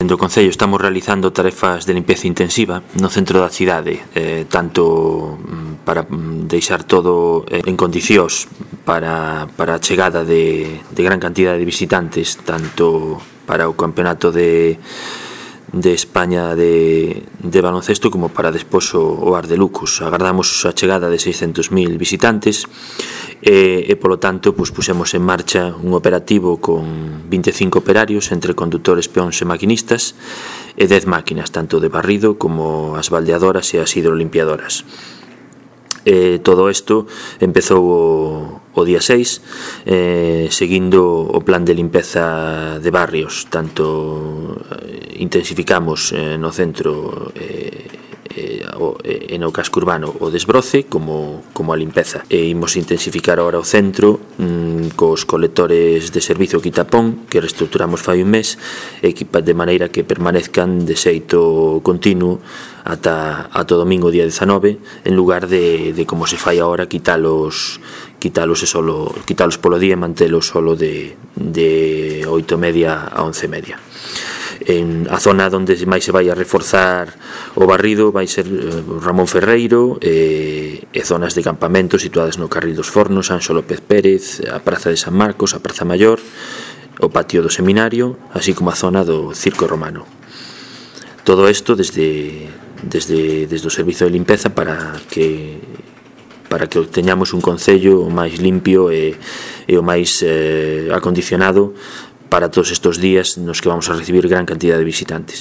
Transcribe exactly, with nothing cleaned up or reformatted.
Dende o Concello estamos realizando tarefas de limpeza intensiva no centro da cidade, eh, tanto para deixar todo en condicións para, para a chegada de, de gran cantidad de visitantes, tanto para o campeonato de, de España de, de baloncesto como para despois o, o Ar de Lucus. Agardamos a chegada de seiscentos mil visitantes e, e polo tanto pues, pusemos en marcha un operativo con vinte e cinco operarios entre conductores, peóns e maquinistas e dez máquinas, tanto de barrido como as baldeadoras e as hidrolimpiadoras. Eh, todo isto empezou o, o día seis, eh, seguindo o plan de limpeza de barrios. Tanto eh, intensificamos eh, no centro eh, eh, o, eh, no casco urbano o desbroce como, como a limpeza. E imos intensificar agora o centro mm, cos colectores de servizo quitapón que reestructuramos fai un mes, equipa de maneira que permanezcan de xeito continuo ata, ata o domingo día dezanove, en lugar de, de como se fai agora, quitalos quitalos e solo quitalos polo día e mantelos solo de, de oito e media a once e media. En a zona onde máis se vai a reforzar o barrido vai ser Ramón Ferreiro e, e zonas de campamento situadas no Carril dos Fornos, Anxo López Pérez, a Praza de San Marcos, a Praza Maior, o patio do Seminario, así como a zona do Circo Romano. Todo isto desde, desde, desde o servizo de limpeza para que para que teñamos un concello o máis limpio e, e o máis eh, acondicionado para todos estes días nos que vamos a recibir gran cantidad de visitantes.